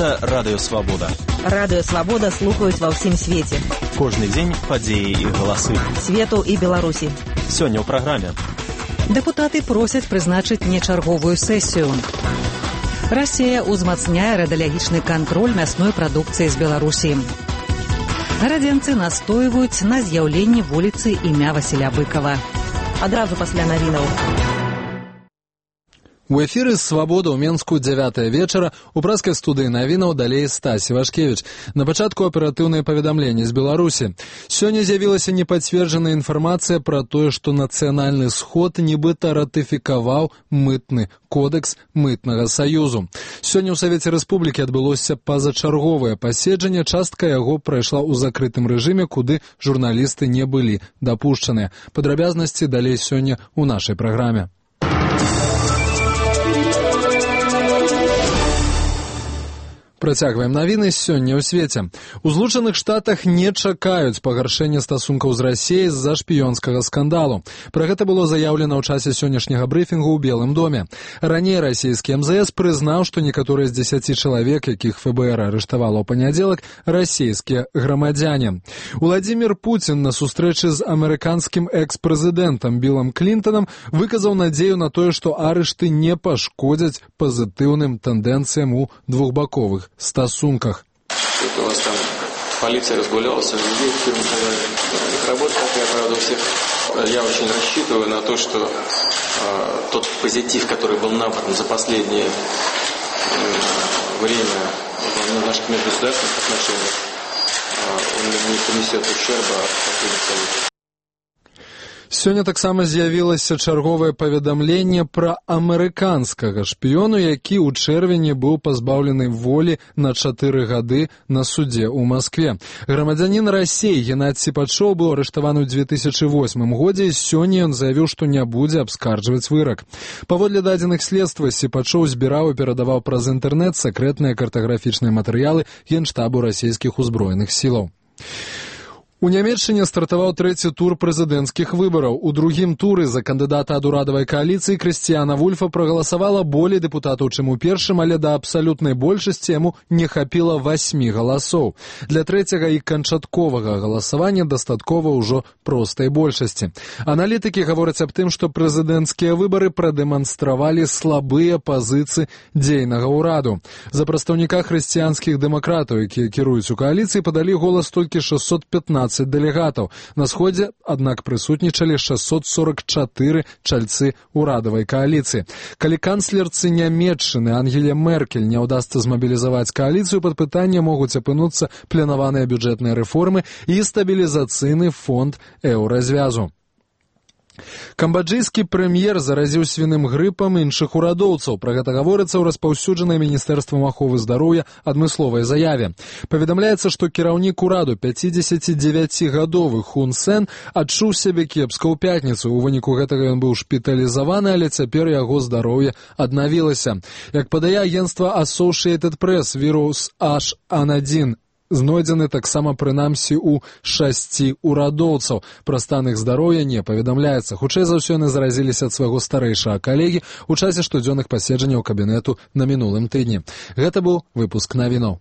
Гэта Радыё Свабода. Радыё Свабода слухаюць ва ўсім свеце. Кожны дзень падзеі і галасы. Свету і Беларусі. Сёння ў праграме. Дэпутаты просяць прызначыць нечарговую сесію. Расія ўзмацняе радыялагічны кантроль мясной прадукцыі з Беларусі. Гарадзенцы настойваюць на з'яўленні вуліцы імя Васіля Быкова. Адразу пасля навінаў. У эфіры «Свабода» ў Менску 9 вечара. У прэскай студыі навінаў далей Стась Івашкевіч. На пачатку аператыўныя паведамленні з Беларусі. Сёння з'явілася непацверджаная інфармацыя пра тое, што нацыянальны сход нібыта ратыфікаваў мытны кодекс мытнага саюзу. Сёння ў Савеце Рэспублікі адбылося пазачарговае паседжанне. Частка яго прайшла ў закрытым рэжыме, куды журналісты не былі дапушчаныя. Падрабязнасці далей сёння ў нашай праграме. Працягваем навіны сёння ў свеце. У Злучаных Штатах не чакаюць пагаршэння стасункаў з Расіяй з-за шпіёнскага скандалу. Пра гэта было заяўлена ў часе сённяшняга брыфінгу ў Белым доме. Раней расійскі МЗС прызнаў, што некаторыя з 10 чалавек, якіх ФБР арыштавала ў панядзелак, расійскія грамадзяне. Уладзімір Пуцін на сустрэчы з амерыканскім экс-прэзідэнтам Білам Клінтанам выказаў надзею на тое, што арышты не пашкодзяць пазітыўным тэндэнцыям у двухбаковых стасунках. У вас там полиция разгулялась, людей, их работа такая, правда, у всех. Я очень рассчитываю на то, что тот позитив, который был набран за последнее время в наших межгосударственных отношениях, он не понесет ущерба от последних событий. Сёння таксама з'явілася чарговае паведамленне пра амерыканскага шпіёну, які ў чэрвені быў пазбаўлены волі на 4 гады на судзе ў Маскве. Грамадзянін Расіі Геннадзь Сіпачоў быў арыштаваны ў 2008 годзе, і сёння ён заявіў, што не будзе абскарджваць вырак. Паводле дадзеных следства, Сіпачоў збіраў і перадаваў праз інтэрнэт сакрэтныя картаграфічныя матэрыялы Генштабу расійскіх узброеных сілаў. У Нямецчыне стартаваў трэці тур прэзідэнцкіх выбараў. У другім туры за кандыдата ад урадавай кааліцыі Крысціяна Вульфа прагаласавала болей дэпутатаў, чым у першым, але да абсалютнай большасці яму не хапіла 8 галасоў. Для трэцяга і канчатковага галасавання дастаткова ўжо простай большасці. Аналітыкі гавораць аб тым, што прэзідэнцкія выбары прадэманстравалі слабыя пазіцыі дзейнага ўраду. За прадстаўніка хрысціянскіх дэмакратаў, якія кіруюць у кааліцыі, падалі голас толькі 615 дэлегатаў. На сходзе, аднак, прысутнічалі 644 чальцы ўрадавай кааліцыі. Калі канцлерцы Нямецчыны Ангеле Меркель не ўдасца змабілізаваць кааліцыю, пад пытанне могуць апынуцца планаваныя бюджэтныя рэформы і стабілізацыйны фонд еўразвязу. Камбаджыйскі прэм'ер заразіў свіным грыпам іншых урадоўцаў. Пра гэта гаворыцца ў распаўсюджанай Міністэрствам аховы здароўя адмысловай заяве. Паведамляецца, што кіраўнік ураду 59-гадовы Хун Сен адчуў сябе кепска ў пятніцу. У выніку гэтага ён быў шпіталізаваны, але цяпер яго здароўе аднавілася. Як падае агенцтва Associated Press, вірус H1N1 знойдзены таксама прынамсі ў 6 урадоўцаў. Пра стан іх здароўя не паведамляецца. Хутчэй за ўсё яны заразіліся ад свайго старэйшага калегі ў часе штодзённых паседжанняў кабінету на мінулым тыдні. Гэта быў выпуск навінаў.